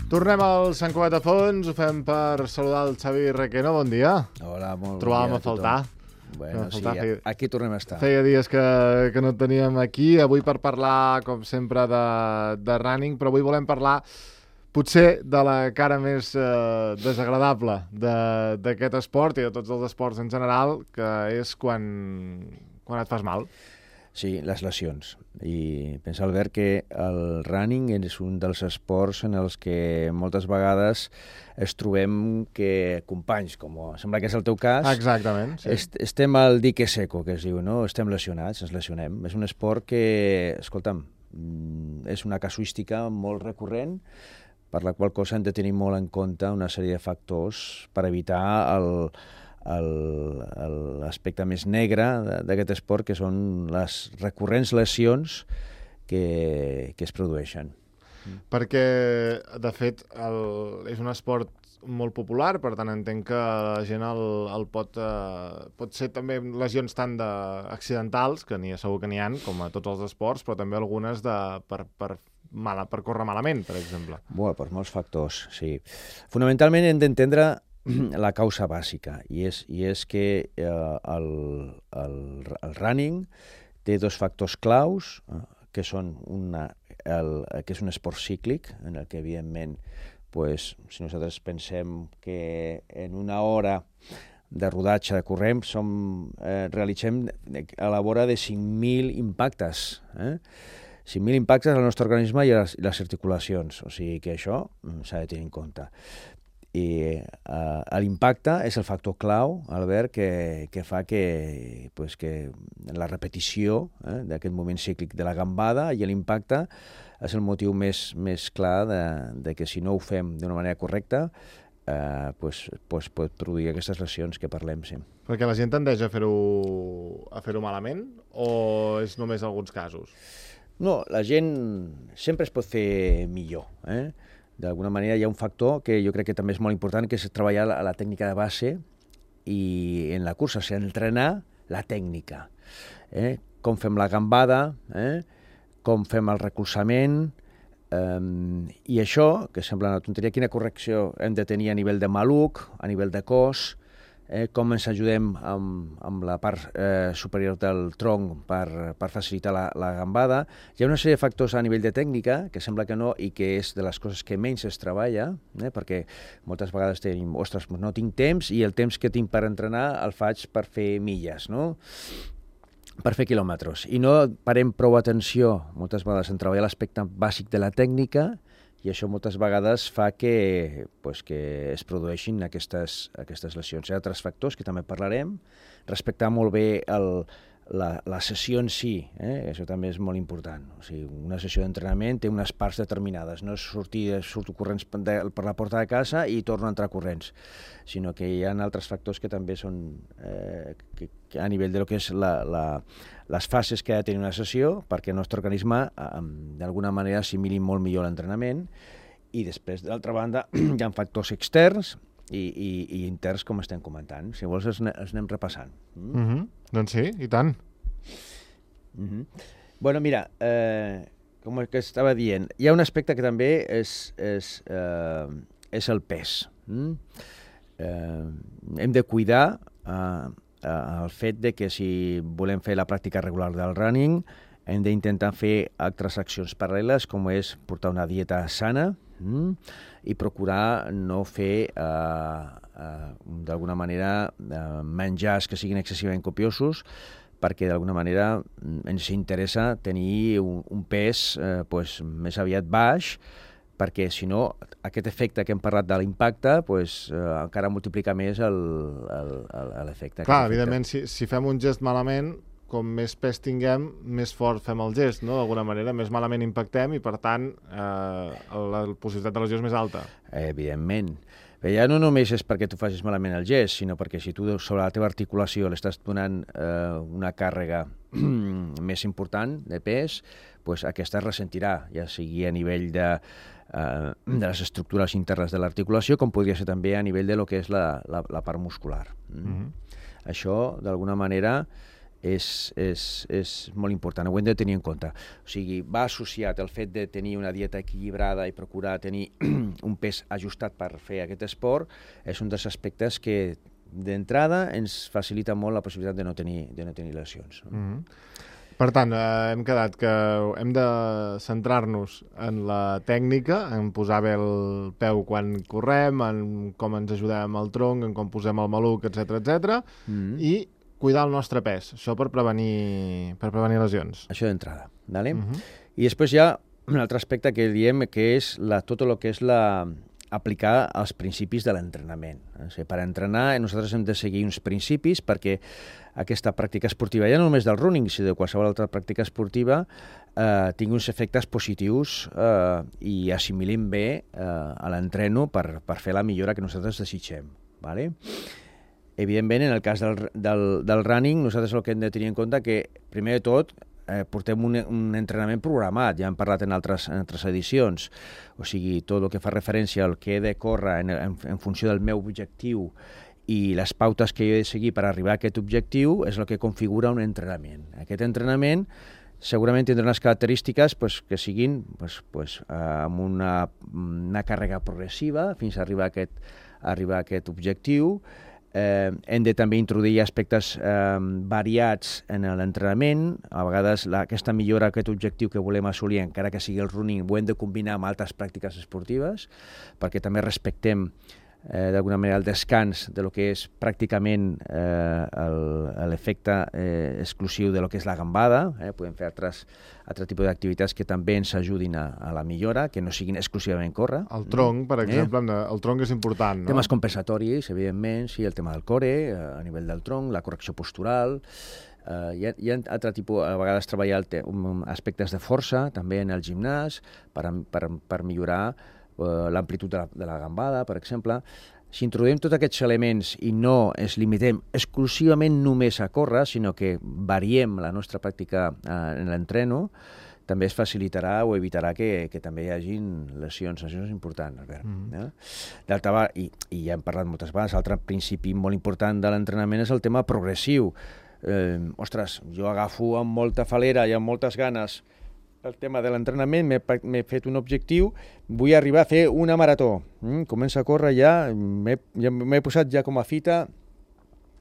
Tornem al Sant Cugat de Fons, ho fem per saludar el Xavi Requeno, bon dia. Hola, molt bon dia. Trobàvem a faltar. Bueno, sí, aquí tornem a estar. Feia dies que no et teníem aquí, avui per parlar, com sempre, de running, però avui volem parlar potser de la cara més desagradable d'aquest esport i de tots els esports en general, que és quan et fas mal. Sí, les lesions. I pensa, Albert, que el running és un dels esports en els que moltes vegades es trobem que companys, com sembla que és el teu cas, exactament, sí. Estem al dique seco, que es diu, no? Estem lesionats, ens lesionem. És un esport que, escolta'm, és una casuística molt recurrent, per la qual cosa hem de tenir molt en compte una sèrie de factors per evitar l'aspecte més negre d'aquest esport, que són les recurrents lesions que es produeixen. Perquè, de fet, és un esport molt popular, per tant entenc que la gent el pot ser també lesions tant accidentals, que segur que n'hi ha, com a tots els esports, però també algunes per córrer malament, per exemple. Bé, per molts factors, sí. Fonamentalment hem d'entendre la causa bàsica, i és que el running té dos factors claus, que són que és un esport cíclic, en el que, evidentment, pues, si nosaltres pensem que en una hora de rodatge de corrent realitzem a la vora de 5.000 impactes, 5.000 impactes al nostre organisme i a les articulacions, o sigui que això s'ha de tenir en compte. I l'impacte és el factor clau, Albert, que fa que la repetició d'aquest moment cíclic de la gambada i l'impacte és el motiu més clar de que si no ho fem d'una manera correcta pot produir aquestes lesions que parlem sempre. Perquè la gent tendeix a fer-ho malament o és només alguns casos? No, la gent sempre es pot fer millor, D'alguna manera hi ha un factor que jo crec que també és molt important, que és treballar la tècnica de base i en la cursa, o sigui, entrenar la tècnica. Com fem la gambada, com fem el recolzament, i això, que sembla una tonteria, quina correcció hem de tenir a nivell de maluc, a nivell de cos, com ens ajudem amb la part superior del tronc per facilitar la gambada. Hi ha una sèrie de factors a nivell de tècnica, que sembla que no, i que és de les coses que menys es treballa, perquè moltes vegades tenim, ostres, no tinc temps, i el temps que tinc per entrenar el faig per fer milles, no? Per fer quilòmetres. I no parem prou atenció, moltes vegades, en treballar l'aspecte bàsic de la tècnica, i això moltes vegades fa que es produeixin aquestes lesions. Hi ha altres factors que també parlarem, respectar molt bé la sessió en si, això també és molt important. O sigui, una sessió d'entrenament té unes parts determinades, no és surto corrents per la porta de casa i torno a entrar corrents, sinó que hi ha altres factors que també són que a nivell de lo que és les fases que ha de tenir una sessió perquè el nostre organisme d'alguna manera assimili molt millor l'entrenament, i després, d'altra banda, hi ha factors externs i interns, com estem comentant. Si vols, els anem repassant. Doncs sí, i tant. Bueno, mira, com que estava dient, hi ha un aspecte que també és el pes. Hem de cuidar el fet de que si volem fer la pràctica regular del running hem d'intentar fer altres accions paral·leles, com és portar una dieta sana i procurar no fer d'alguna manera menjars que siguin excessivament copiosos, perquè d'alguna manera ens interessa tenir un pes més aviat baix, perquè si no aquest efecte que hem parlat de l'impacte encara multiplica més l'efecte. Clar, evidentment, si fem un gest malament, com més pes tinguem, més fort fem el gest, no? D'alguna manera, més malament impactem i, per tant, la possibilitat de lesió és més alta. Evidentment. Però ja no només és perquè tu facis malament el gest, sinó perquè si tu sobre la teva articulació l'estàs donant una càrrega més important de pes, aquesta es ressentirà, ja sigui a nivell de les estructures internes de l'articulació, com podria ser també a nivell de lo que és la part muscular. Això, d'alguna manera, és molt important, ho hem de tenir en compte. O sigui, va associat el fet de tenir una dieta equilibrada i procurar tenir un pes ajustat per fer aquest esport, és un dels aspectes que d'entrada ens facilita molt la possibilitat de no tenir lesions. Per tant, hem quedat que hem de centrar-nos en la tècnica, en posar bé el peu quan correm, en com ens ajudem al tronc, en com posem el maluc, etc. I cuidar el nostre pes, això per prevenir lesions. Això d'entrada, ¿vale? I després hi ha un altre aspecte que diem que és tot el que és aplicar els principis de l'entrenament. O sigui, per entrenar nosaltres hem de seguir uns principis perquè aquesta pràctica esportiva, ja no només del running, sinó de qualsevol altra pràctica esportiva, tingui uns efectes positius i assimilin bé a l'entreno per fer la millora que nosaltres desitgem. ¿Vale? Evidentment, en el cas del running, nosaltres el que hem de tenir en compte que, primer de tot, portem un entrenament programat, ja hem parlat en altres edicions, o sigui, tot el que fa referència al que he de córrer en funció del meu objectiu i les pautes que jo he de seguir per arribar a aquest objectiu és el que configura un entrenament. Aquest entrenament segurament tindrà unes característiques que siguin amb una càrrega progressiva fins a arribar a aquest objectiu. Hem de també introduir aspectes variats en l'entrenament. A vegades aquesta millora, aquest objectiu que volem assolir, encara que sigui el running, ho hem de combinar amb altres pràctiques esportives perquè també respectem d'alguna manera el descans de lo que és pràcticament l'efecte exclusiu de lo que és la gambada. Podem fer altre tipus d'activitats que també ens ajudin a la millora, que no siguin exclusivament córrer. El tronc, per exemple, el tronc és important, no? Temes compensatoris, evidentment, sí, el tema del core, a nivell del tronc, la correcció postural. Hi ha altre tipus, a vegades treballar aspectes de força, també en el gimnàs, per millorar l'amplitud de la gambada, per exemple. Si introduïm tots aquests elements i no ens limitem exclusivament només a córrer, sinó que variem la nostra pràctica en l'entreno, també es facilitarà o evitarà que també hi hagin lesions. Això és important, Albert. D'altra banda, i ja hem parlat moltes vegades, l'altre principi molt important de l'entrenament és el tema progressiu. Ostres, jo agafo amb molta falera i amb moltes ganes el tema de l'entrenament, m'he fet un objectiu, vull arribar a fer una marató. Començo a córrer ja, m'he posat ja com a fita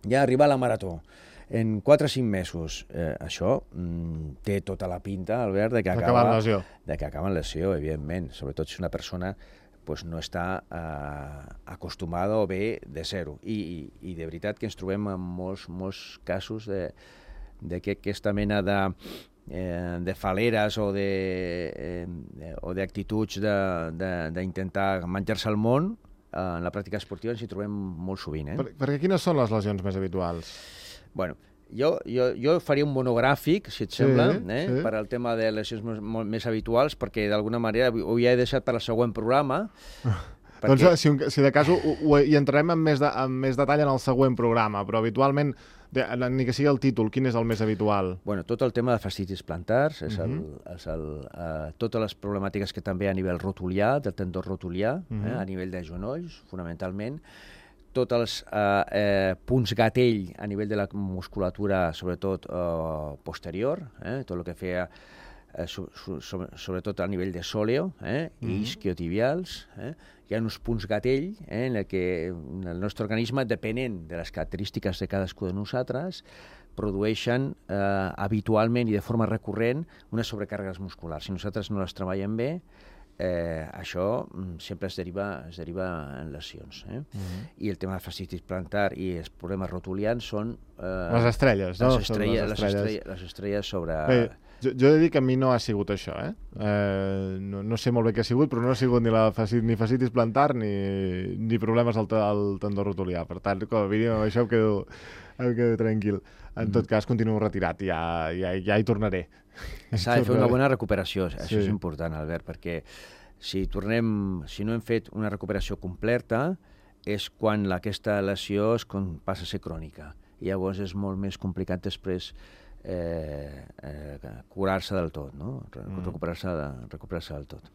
ja arribar a la marató en 4 o 5 mesos. Això té tota la pinta, Albert, de que acaba en lesió, evidentment, sobretot si una persona no està acostumada o bé de zero. I de veritat que ens trobem en molts casos de que aquesta mena de faleres o d'actituds d'intentar menjar-se el món, en la pràctica esportiva ens hi trobem molt sovint. Perquè quines són les lesions més habituals? Bueno, jo faria un monogràfic, si et sembla, per al tema de lesions més habituals, perquè d'alguna manera ho ja he deixat per al següent programa. Doncs si de cas hi entrarem amb més detall en el següent programa, però habitualment, ni que sigui el títol, quin és el més habitual? Bueno, tot el tema de fascitis plantars, totes les problemàtiques que també a nivell rotulià, del tendó rotulià, a nivell de genolls, fonamentalment, tots els punts gatell a nivell de la musculatura, sobretot posterior, tot el que feia sobretot a nivell de sòleo i isquiotibials. Hi ha uns punts gatell en què el nostre organisme, depenent de les característiques de cadascú de nosaltres, produeixen habitualment i de forma recurrent unes sobrecàrregues musculars. Si nosaltres no les treballem bé, això sempre es deriva en lesions. I el tema de fascitis plantar i els problemes rotulians són les estrelles, no? Les estrelles sobre... Jo he de dir que a mi no ha sigut això, no sé molt bé què ha sigut, però no ha sigut ni fascitis plantar ni problemes al tendó rotulià. Per tant, com a mínim, amb això em quedo tranquil. En tot cas, continuo retirat, ja hi tornaré. S'ha de fer una bona recuperació, això és important, Albert, perquè si no hem fet una recuperació completa és quan aquesta lesió passa a ser crònica. I llavors és molt més complicat després curar-se del tot, no? Recuperar-se del tot.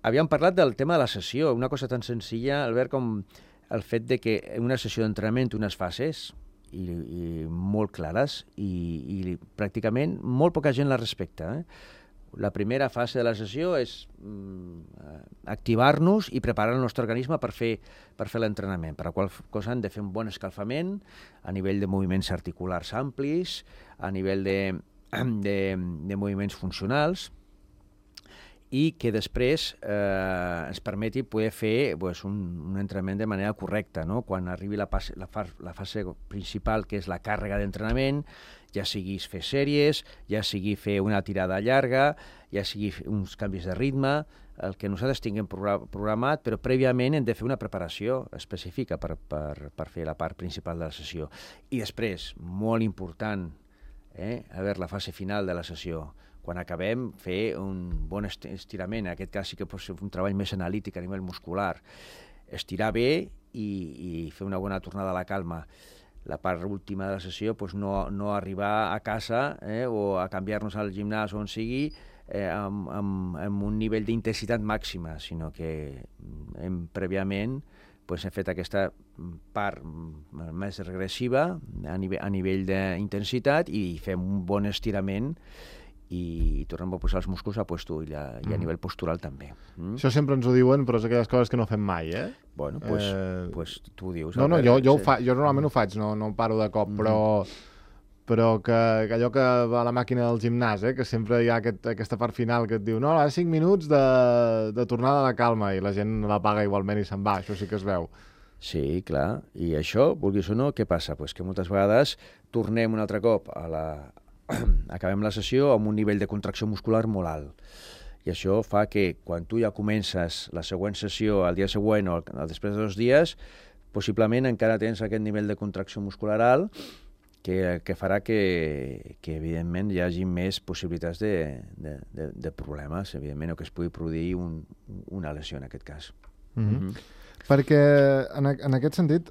Havíem parlat del tema de la sessió, una cosa tan senzilla, Albert, com el fet de que en una sessió d'entrenament té unes fases i molt clares i pràcticament molt poca gent les respecta. La primera fase de la sessió és activar-nos i preparar el nostre organisme per fer l'entrenament, per la qual cosa hem de fer un bon escalfament a nivell de moviments articulars amplis, a nivell de moviments funcionals, i que després ens permeti poder fer un entrenament de manera correcta, no? Quan arribi la fase principal, que és la càrrega d'entrenament, ja sigui fer sèries, ja sigui fer una tirada llarga, ja sigui uns canvis de ritme, el que nosaltres tinguem programat, però prèviament hem de fer una preparació específica per fer la part principal de la sessió. I després, molt important, a veure la fase final de la sessió, quan acabem, fer un bon estirament. En aquest cas sí que pot ser un treball més analític a nivell muscular. Estirar bé i fer una bona tornada a la calma. La part última de la sessió, no arribar a casa o a canviar-nos al gimnàs on sigui amb un nivell d'intensitat màxima, sinó que prèviament hem fet aquesta part més regressiva a nivell d'intensitat i fem un bon estirament i tornem a posar els músculs a puesto i a nivell postural també. Això sempre ens ho diuen, però és aquelles coses que no fem mai, Bueno, pues tu ho dius. No, jo normalment ho faig, no paro de cop, però que allò que va a la màquina del gimnàs, que sempre hi ha aquesta part final que et diu no, ara 5 minuts de tornada a la calma, i la gent la paga igualment i se'n va, això sí que es veu. Sí, clar, i això, vulguis o no, què passa? Pues que moltes vegades tornem un altre cop acabem la sessió amb un nivell de contracció muscular molt alt. I això fa que quan tu ja comences la següent sessió al dia següent o després de 2 dies, possiblement encara tens aquest nivell de contracció muscular alt que farà que evidentment hi hagi més possibilitats de problemes, evidentment, o que es pugui produir una lesió en aquest cas. Perquè en aquest sentit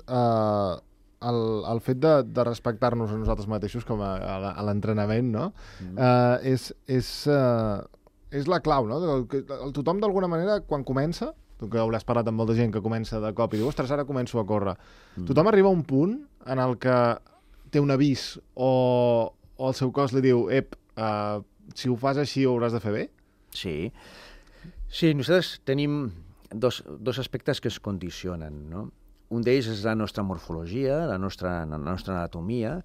el fet de respectar-nos a nosaltres mateixos com a l'entrenament, no? És la clau, no? Tothom d'alguna manera quan comença, tu que hauràs parlat amb molta gent que comença de cop i diu, ostres, ara començo a córrer, tothom arriba a un punt en el que té un avís o el seu cos li diu si ho fas així ho hauràs de fer bé? Sí, nosaltres tenim dos aspectes que es condicionen, no? Un d'ells és la nostra morfologia, la nostra anatomia,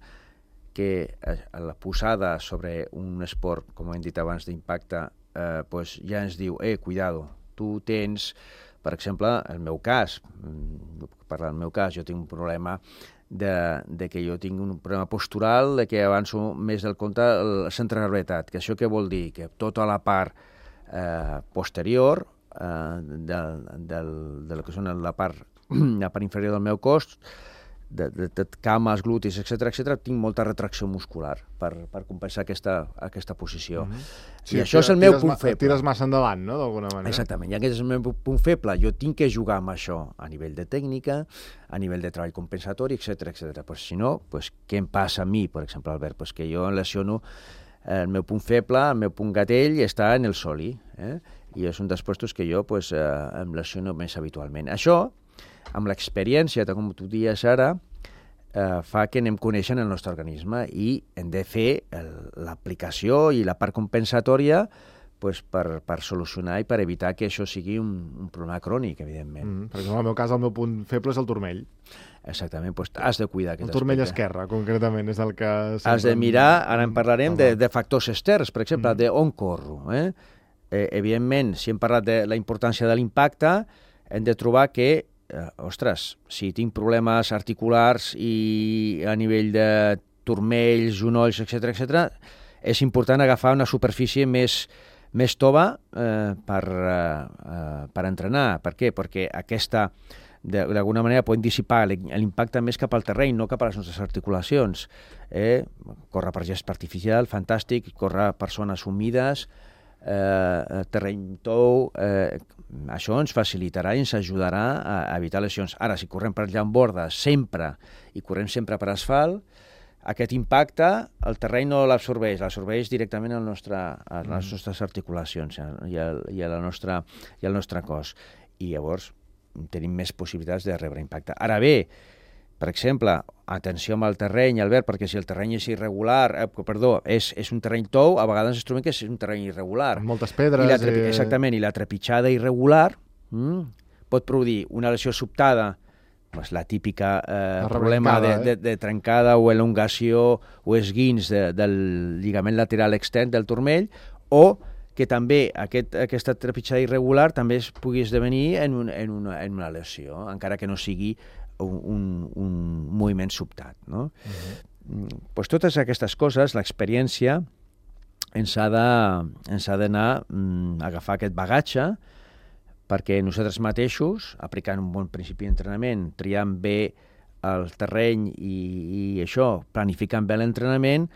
que la posada sobre un esport, com hem dit abans, d'impacte, ja ens diu, cuidado, tu tens, per exemple, el meu cas, jo tinc un problema de que jo tinc un problema postural, de que avanço més del compte el centre de gravetat, que això què vol dir? Que tota la part posterior de que són la part inferior del meu cos, de cames, glutis, etc., tinc molta retracció muscular per compensar aquesta posició. Sí, i això és el meu punt feble. Tires massa endavant, no?, d'alguna manera. Exactament, i aquest és el meu punt feble. Jo tinc que jugar amb això a nivell de tècnica, a nivell de treball compensatori, etc. Pues, si no, què em passa a mi, per exemple, Albert? Pues que jo lesiono el meu punt feble, el meu punt gatell està en el soli, i és un dels puestos que jo em lesiono més habitualment. Això, amb l'experiència, com tu dius ara, fa que anem coneixent el nostre organisme i hem de fer l'aplicació i la part compensatòria per solucionar i per evitar que això sigui un problema crònic, evidentment. Per exemple, en el meu cas, el meu punt feble és el turmell. Exactament, has de cuidar aquest aspecte. El turmell esquerre, concretament, és el que... Has de mirar, ara en parlarem, de factors externs, per exemple, d'on corro. Evidentment, si hem parlat de la importància de l'impacte, hem de trobar que ostres, si tinc problemes articulars i a nivell de turmells, genolls, etc., és important agafar una superfície més tova per entrenar. Per què? Perquè aquesta, d'alguna manera, pot dissipar l'impacte més cap al terreny, no cap a les nostres articulacions. Córrer per gest artificial, fantàstic, córrer per zones humides, terreny tou, això ens facilitarà i ens ajudarà a evitar lesions. Ara, si correm per llambordes sempre i correm sempre per asfalt, aquest impacte el terreny no l'absorbeix directament a les nostres articulacions i al nostre cos. I llavors tenim més possibilitats de rebre impacte. Ara bé, per exemple, atenció amb el terreny, Albert, perquè si el terreny és irregular, és un terreny tou, a vegades ens trobem que és un terreny irregular. Amb moltes pedres. Exactament, i la trepitjada irregular pot produir una lesió sobtada, pues la típica problema de trencada o elongació o esguins del lligament lateral extern del turmell, o que també aquesta trepitjada irregular també es pugui esdevenir en una lesió, encara que no sigui un moviment sobtat. No? Pues totes aquestes coses, l'experiència ens ha d'anar a agafar aquest bagatge, perquè nosaltres mateixos, aplicant un bon principi d'entrenament, triant bé el terreny i això, planificant bé l'entrenament,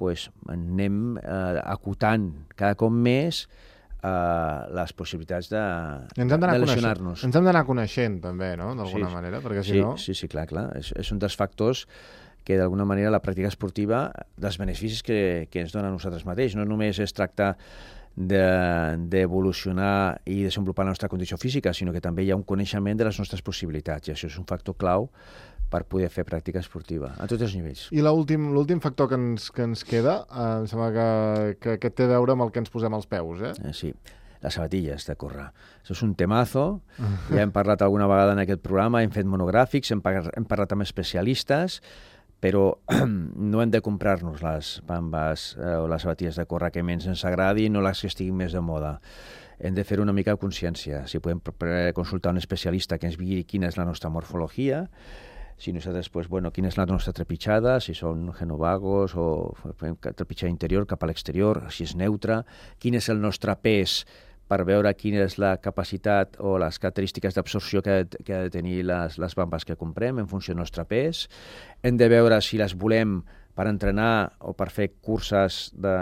pues anem acotant cada cop més les possibilitats de lesionar-nos. Ens hem d'anar coneixent també, no?, d'alguna manera, perquè si no... Sí, clar. És un dels factors que d'alguna manera la pràctica esportiva, dels beneficis que ens dona a nosaltres mateix. No només es tracta d'evolucionar i desenvolupar la nostra condició física, sinó que també hi ha un coneixement de les nostres possibilitats, i això és un factor clau per poder fer pràctica esportiva, a tots els nivells. I l'últim factor que ens queda, em sembla que té a veure amb el que ens posem als peus, eh? Sí, les sabatilles de córrer. Això és un temazo, ja hem parlat alguna vegada en aquest programa, hem fet monogràfics, hem parlat amb especialistes, però no hem de comprar-nos les bambes o les sabatilles de córrer que menys ens agradi, no les que estiguin més de moda. Hem de fer una mica de consciència. Si podem consultar un especialista que ens digui quina és la nostra morfologia, si nosaltres, quina és la nostra trepitjada, si són genovagos o trepitjada interior cap a l'exterior, si és neutra, quin és el nostre pes per veure quina és la capacitat o les característiques d'absorció que ha de tenir les bambes que comprem en funció del nostre pes. Hem de veure si les volem per entrenar o per fer curses de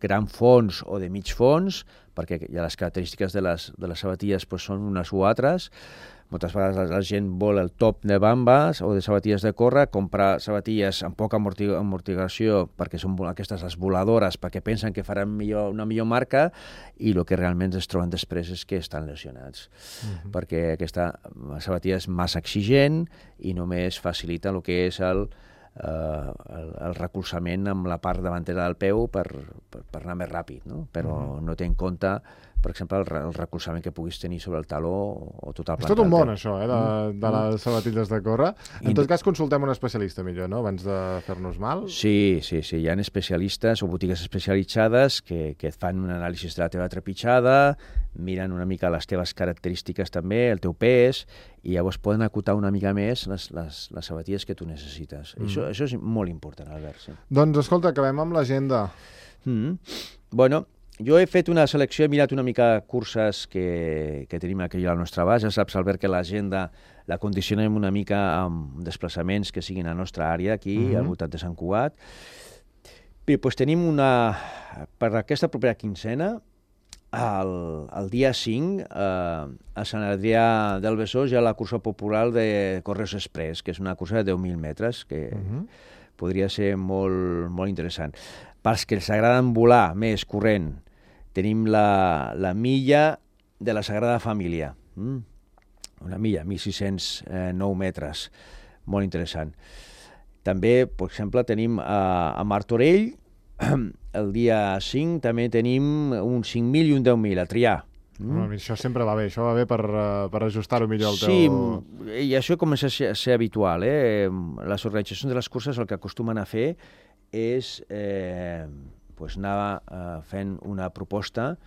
gran fons o de mig fons, perquè ja les característiques de les sabatilles són unes o altres. Moltes vegades la gent vol el top de bambes o de sabatilles de córrer, comprar sabatilles amb poca amortiguació perquè són aquestes les voladores, perquè pensen que faran una millor marca, i el que realment es troben després és que estan lesionats. Perquè aquesta sabatilla és massa exigent i només facilita el que és el recolzament amb la part davantera del peu per anar més ràpid, no? Però no té en compte, per exemple, el recolzament que puguis tenir sobre el taló o tota la planta. És tot un món, això, de les sabatilles de córrer. En tot cas, consultem un especialista millor, no?, abans de fer-nos mal. Sí. Hi ha especialistes o botigues especialitzades que et fan un anàlisi de la teva trepitjada, miren una mica les teves característiques també, el teu pes, i llavors poden acotar una mica més les sabatilles que tu necessites. Això és molt important, Albert. Sí. Doncs, escolta, acabem amb l'agenda. Bueno, jo he fet una selecció, he mirat una mica curses que tenim aquí al nostre abast. Ja saps, Albert, que l'agenda la condicionem una mica amb desplaçaments que siguin a la nostra àrea, aquí, al voltant de Sant Cugat. Bé, doncs tenim per aquesta propera quincena, el dia 5, a Sant Adrià del Besòs hi ha la cursa popular de Correos Express, que és una cursa de 10.000 metres, que podria ser molt, molt interessant. Pels que els agraden volar més corrent, tenim la milla de la Sagrada Família. Una milla, 1.609 metres. Molt interessant. També, per exemple, tenim a Martorell, el dia 5, també tenim un 5.000 i un 10.000 a triar. Això sempre va bé, això va bé per ajustar-ho millor al teu... Sí, i això comença a ser habitual. Les organitzacions de les curses el que acostumen a fer és anar fent una proposta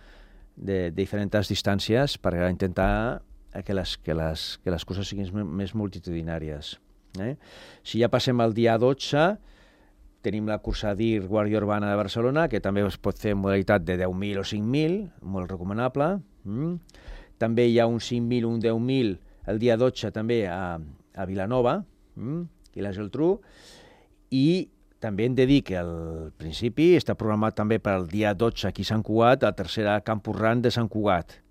de diferents distàncies per intentar que les curses siguin més multitudinàries. Si ja passem al dia 12, tenim la cursa DIR Guàrdia Urbana de Barcelona, que també es pot fer en modalitat de 10.000 o 5.000, molt recomanable. També hi ha un 5.000 o un 10.000 el dia 12 també a Vilanova, i la Geltrú, i també hem de dir que al principi està programat també per al dia 12 aquí a Sant Cugat, la tercera Campus Run de Sant Cugat.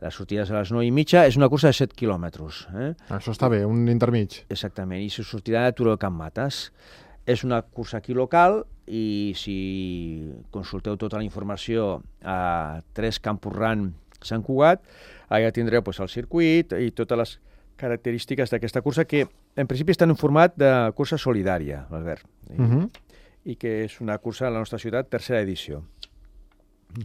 La sortida és a les 9:30, és una cursa de 7 quilòmetres. Això està bé, un intermig. Exactament, i se sortirà de Turó de Can Mates. És una cursa aquí local, i si consulteu tota la informació a 3 Campus Run Sant Cugat, allà tindreu el circuit i totes les característiques d'aquesta cursa, que en principi està en un format de cursa solidària, Albert, i que és una cursa a la nostra ciutat, tercera edició.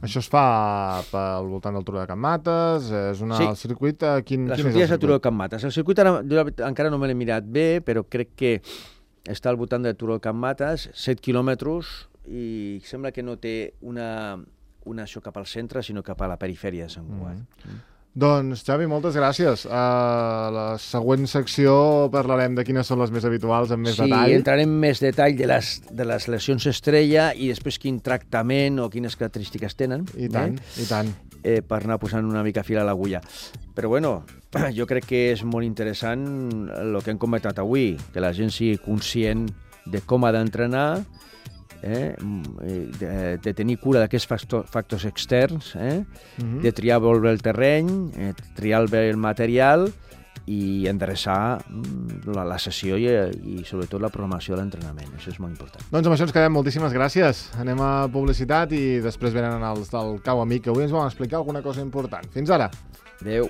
Això es fa pel voltant del Turó de Can Mates, és el circuit... La sortida és el Turó de Can Mates. El circuit encara no me l'he mirat bé, però crec que està al voltant del Turó de Can Mates, 7 quilòmetres, i sembla que no té una això cap al centre, sinó cap a la perifèria de Sant Cugat. Doncs, Xavi, moltes gràcies. A la següent secció parlarem de quines són les més habituals, amb més detall. Sí, entrarem en més detall de les lesions estrella i després quin tractament o quines característiques tenen. I tant, i tant. Per anar posant una mica fil a l'agulla. Però bueno, jo crec que és molt interessant el que hem comentat avui, que la gent sigui conscient de com ha d'entrenar, de tenir cura d'aquests factors externs, de triar bé el terreny, triar bé el material i endreçar la sessió i sobretot la programació de l'entrenament. Això és molt important. Doncs amb això ens quedem. Moltíssimes gràcies. Anem a publicitat i després venen els del Cau Amic, que avui ens volen explicar alguna cosa important. Fins ara. Adéu.